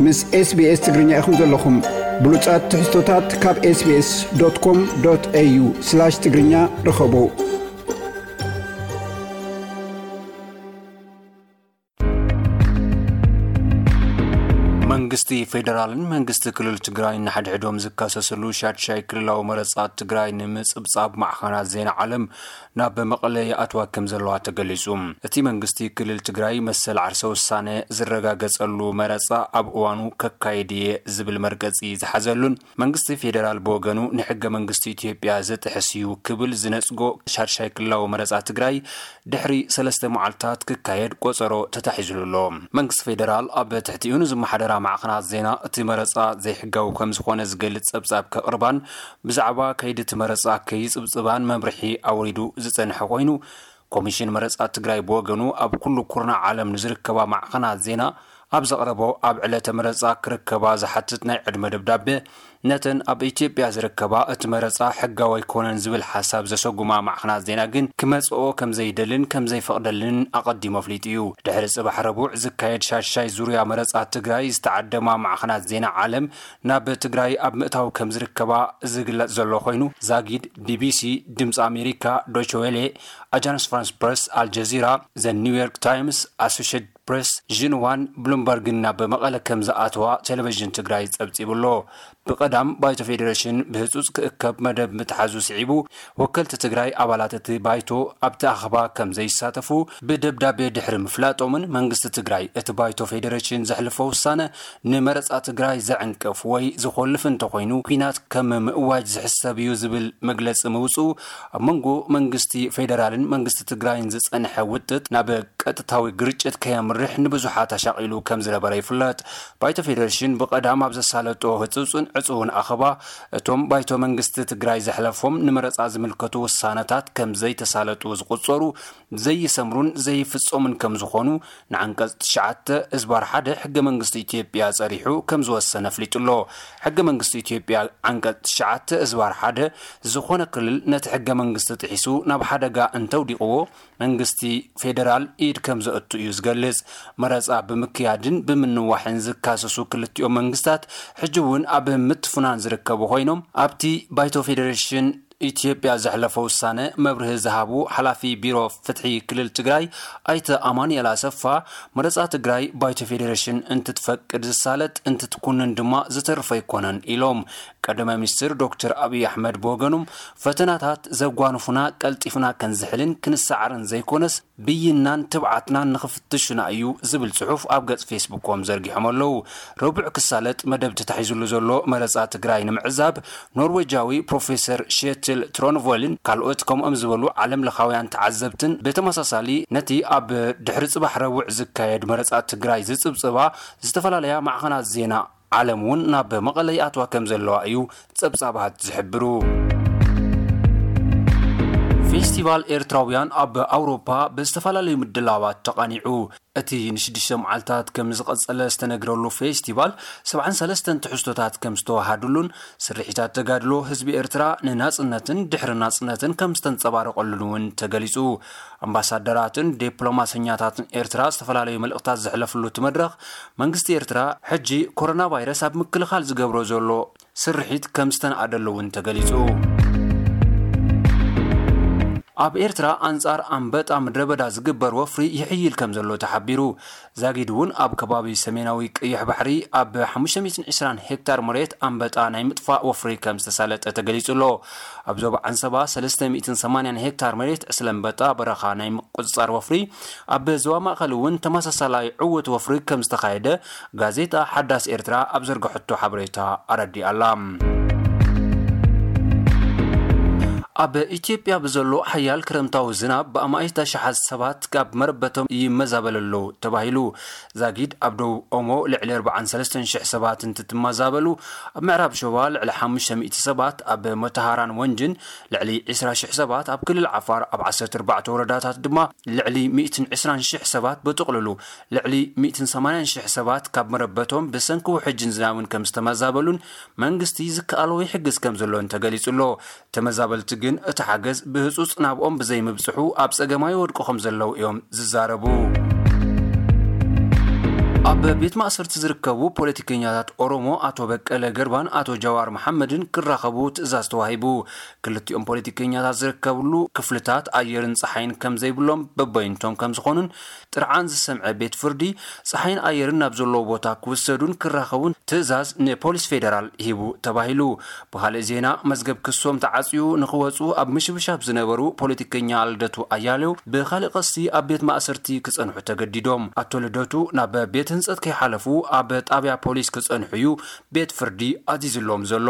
ምስ SBS ትግርኛ ኢኹም ዘለኹም። ብሉጻት ትሕዝቶታት ካብ SBS.com.au/ትግርኛ ርኸቡ። መንግስቲ ፌደራልን መንግስቲ ክልል ትግራይን ንሓድሕዶም ዝካሰስሉ ሻድሻይ ክልላዊ መረጻ ትግራይ ንምጽብጻብ ማዕኸናት ዜና ዓለም ናብ መቐለ ይኣትዋ ከም ዘለዋ ተገሊጹ። እቲ መንግስቲ ክልል ትግራይ መሰል ዓርሰ ውሳነ ዝረጋገጸሉ መረጻ ኣብ እዋኑ ከካይድ እየ ዝብል መርገጺ ዝሓዘሉን መንግስቲ ፌደራል ብወገኑ ንሕገ መንግስቲ ኢትዮጵያ ዝጥሕስ እዩ ክብል ዝነጽጎ ሻድሻይ ክልላዊ መረጻ ትግራይ ድሕሪ ሰለስተ መዓልታት ክካየድ ቆጸሮ ተታሒዝሉ ኣሎ። መንግስቲ ፌደራል ኣብ ትሕቲኡ ንዝመሓደራ ማዕኸናት ዜና እቲ መረጻ ዘይሕጋዊ ከም ዝኾነ ዝገልጽ ጸብጻብ ከቕርባን ብዛዕባ ከይዲ እቲ መረጻ ከይጽብጽባን መምርሒ ኣውሪዱ ዝጸንሐ ኮይኑ፣ ኮሚሽን መረጻ ትግራይ ብወገኑ ኣብ ኩሉ ኩርናዕ ዓለም ንዝርከባ ማዕኸናት ዜና ኣብ ዘቕረቦ ኣብ ዕለተ መረጻ ክርከባ ዝሓትት ናይ ዕድመ ደብዳቤ ነተን ኣብ ኢትዮጵያ ዝርከባ እቲ መረጻ ሕጋዊ ኣይኮነን ዝብል ሓሳብ ዘሰጉማ ማዕኸናት ዜና ግን ክመጽኦ ከም ዘይደልን ከም ዘይፈቕደልን ኣቐዲሙ ኣፍሊጡ እዩ። ድሕሪ ጽባሕ ረቡዕ ዝካየድ ሻሻይ ዙርያ መረጻ ትግራይ ዝተዓደማ ማዕኸናት ዜና ዓለም ናብ ትግራይ ኣብ ምእታው ከም ዝርከባ ዝግለጽ ዘሎ ኮይኑ፣ ዛጊድ ቢቢሲ፣ ድምፂ ኣሜሪካ፣ ዶይቸ ዌሌ፣ ኣጃንስ ፍራንስ ፕረስ፣ ኣልጀዚራ፣ ዘ ኒውዮርክ ታይምስ፣ ኣሶሽየትድ ፕሬስ፣ ዥንዋን ብሉምበርግን ናብ መቐለ ከም ዝኣተዋ ቴሌቪዥን ትግራይ ጸብጺቡ ኣሎ። ብቐዳም ባይቶ ፌዴሬሽን ብህጹጽ ክእከብ መደብ ምትሓዙ ስዒቡ፣ ወከልቲ ትግራይ ኣባላት እቲ ባይቶ ኣብቲ ኣኸባ ከም ዘይሳተፉ ብደብዳቤ ድሕሪ ምፍላጦምን መንግስቲ ትግራይ እቲ ባይቶ ፌዴሬሽን ዘሕልፎ ውሳነ ንመረጻ ትግራይ ዘዕንቅፍ ወይ ዝኾልፍ እንተኾይኑ ኲናት ከም ምእዋጅ ዝሕሰብ እዩ ዝብል መግለጺ ምውጽኡ ኣብ መንጎ መንግስቲ ፌዴራልን መንግስቲ ትግራይን ዝጸንሐ ውጥጥ ናብ ቀጥታዊ ግርጭት ከየምርሕ ንብዙሓት ኣሻቒሉ ከም ዝነበረ ይፍለጥ። ባይቶ ፌዴሬሽን ብቐዳም ኣብ ዘሳለጦ ህጹጽን ዕጹውን ኣኸባ እቶም ባይቶ መንግስቲ ትግራይ ዘሕለፎም ንመረጻ ዝምልከቱ ውሳነታት ከም ዘይተሳለጡ ዝቑጸሩ ዘይሰምሩን ዘይፍጸሙን ከም ዝኾኑ ንዓንቀጽ ትሽዓተ እዝባር ሓደ ሕገ መንግስቲ ኢትዮጵያ ጸሪሑ ከም ዝወሰነ ኣፍሊጡ ኣሎ። ሕገ መንግስቲ ኢትዮጵያ ዓንቀጽ ትሽዓተ እዝባር ሓደ ዝኾነ ክልል ነቲ ሕገ መንግስቲ ጥሒሱ ናብ ሓደጋ እንተውዲቕዎ መንግስቲ ፌደራል ኢድ ከም ዘእቱ እዩ ዝገልጽ። መረጻ ብምክያድን ብምንዋሕን ዝካሰሱ ክልቲኦም መንግስታት ሕጂ እውን ኣብ ምትፍናን ዝርከቡ ኮይኖም ኣብቲ ባይቶ ፌዴሬሽን ኢትዮጵያ ዘሕለፈ ውሳነ መብርሂ ዝሃቡ ሓላፊ ቢሮ ፍትሒ ክልል ትግራይ ኣይተ ኣማኑኤል ኣሰፋ መረጻ ትግራይ ባይቶ ፌዴሬሽን እንትትፈቅድ ዝሳለጥ እንትትኩንን ድማ ዝተርፎ ኣይኮነን ኢሎም። ቀዳማይ ሚኒስትር ዶክተር ኣብይ ኣሕመድ ብወገኖም ፈተናታት ዘጓንፉና ቀልጢፍና ከንዝሕልን ክንሰዓርን ዘይኮነስ ብይናን ትብዓትናን ንኽፍትሹና እዩ ዝብል ጽሑፍ ኣብ ገጽ ፌስቡኮም ዘርጊሖም ኣለዉ። ረቡዕ ክሳለጥ መደብ ተታሒዙሉ ዘሎ መረጻ ትግራይ ንምዕዛብ ኖርዌጃዊ ፕሮፌሰር ሼትል ትሮንቮልን ካልኦት ከምኦም ዝበሉ ዓለም ለኻውያን ተዓዘብትን ብተመሳሳሊ ነቲ ኣብ ድሕሪ ጽባሕ ረቡዕ ዝካየድ መረጻ ትግራይ ዝጽብጽባ ዝተፈላለያ ማዕኸናት ዜና ዓለም እውን ናብ መቐለ ይኣትዋ ከም ዘለዋ እዩ ጸብጻባት ዝሕብሩ። ፌስቲቫል ኤርትራውያን ኣብ ኣውሮፓ ብዝተፈላለዩ ምድላዋት ተቓኒዑ። እቲ ንሽዱሽተ መዓልታት ከም ዝቐጸለ ዝተነግረሉ ፌስቲቫል ሰብዓን ሰለስተን ትሕዝቶታት ከም ዝተወሃድሉን ስርሒታት ተጋድሎ ህዝቢ ኤርትራ ንናጽነትን ድሕሪ ናጽነትን ከም ዝተንጸባረቐሉን እውን ተገሊጹ። ኣምባሳደራትን ዲፕሎማሰኛታትን ኤርትራ ዝተፈላለዩ መልእኽታት ዘሕለፍሉ እቲ መድረኽ መንግስቲ ኤርትራ ሕጂ ኮሮና ቫይረስ ኣብ ምክልኻል ዝገብሮ ዘሎ ስርሒት ከም ዝተናኣደሉ እውን ተገሊጹ። ኣብ ኤርትራ ኣንጻር ኣንበጣ ምድረ በዳ ዝግበር ወፍሪ ይሕይል ከም ዘሎ ተሓቢሩ። ዛጊድ እውን ኣብ ከባቢ ሰሜናዊ ቀይሕ ባሕሪ ኣብ ሓሙሽተ ሚእትን ዕስራን ሄክታር መሬት ኣንበጣ ናይ ምጥፋእ ወፍሪ ከም ዝተሳለጠ ተገሊጹ ኣሎ። ኣብ ዞባ ዓንሰባ ሰለስተ ሚእትን ሰማንያን ሄክታር መሬት ዕስለ ኣንበጣ በረኻ ናይ ምቁጽጻር ወፍሪ፣ ኣብ ዞባ ማእከል እውን ተመሳሳላይ ዕዉት ወፍሪ ከም ዝተኻየደ ጋዜጣ ሓዳስ ኤርትራ ኣብ ዘርግሐቶ ሓበሬታ ኣረዲኣ ኣላ። ኣብ ኢትዮጵያ ብዘሎ ሓያል ክረምታዊ ዝናብ ብኣማኢት ኣሽሓት ሰባት ካብ መረበቶም ይመዛበሉ ኣለዉ ተባሂሉ። ዛጊድ ኣብ ደቡብ ኦሞ ልዕሊ ኣርባዓን ሰለስተን ሽሕ ሰባት እንትትመዛበሉ፣ ኣብ ምዕራብ ሸዋ ልዕሊ ሓሙሽተ ሚእቲ ሰባት፣ ኣብ መተሃራን ወንጅን ልዕሊ ዕስራ ሽሕ ሰባት፣ ኣብ ክልል ዓፋር ኣብ ዓሰርተ ኣርባዕተ ወረዳታት ድማ ልዕሊ ሚእትን ዕስራን ሽሕ ሰባት፣ ብጥቕልሉ ልዕሊ ሚእትን ሰማንያን ሽሕ ሰባት ካብ መረበቶም ብሰንኪ ውሕጅን ዝናብን ከም ዝተመዛበሉን መንግስቲ ዝከኣሎ ይሕግዝ ከም ዘሎን ተገሊጹ ኣሎ። ተመዛበልቲ ግን እቲ ሓገዝ ብህጹጽ ናብኦም ብዘይምብጽሑ ኣብ ጸገማት ይወድቁ ከም ዘለዉ እዮም ዝዛረቡ። በቤት ማእሰርቲ ዝርከቡ ፖለቲከኛታት ኦሮሞ ኣቶ በቀለ ገርባን ኣቶ ጃዋር መሓመድን ክራኸቡ ትእዛዝ ተዋሂቡ። ክልቲኦም ፖለቲከኛታት ዝርከብሉ ክፍልታት ኣየርን ጸሓይን ከም ዘይብሎም፣ በበይንቶም ከም ዝኾኑን ጥርዓን ዝሰምዐ ቤት ፍርዲ ጸሓይን ኣየርን ናብ ዘለዎ ቦታ ክውሰዱን ክራኸቡን ትእዛዝ ንፖሊስ ፌደራል ሂቡ ተባሂሉ። ብኻልእ ዜና፣ መዝገብ ክሶም ተዓጽዩ ንኽወጹ ኣብ ምሽብሻብ ዝነበሩ ፖለቲከኛ ልደቱ ኣያሌው ብኻልእ ቀስቲ ኣብ ቤት ማእሰርቲ ክጸንሑ ተገዲዶም። ኣቶ ልደቱ ናብ ቤት ህንጸት ከይሓለፉ ኣብ ጣብያ ፖሊስ ክጸንሑ እዩ ቤት ፍርዲ ኣዚዝሎም ዘሎ።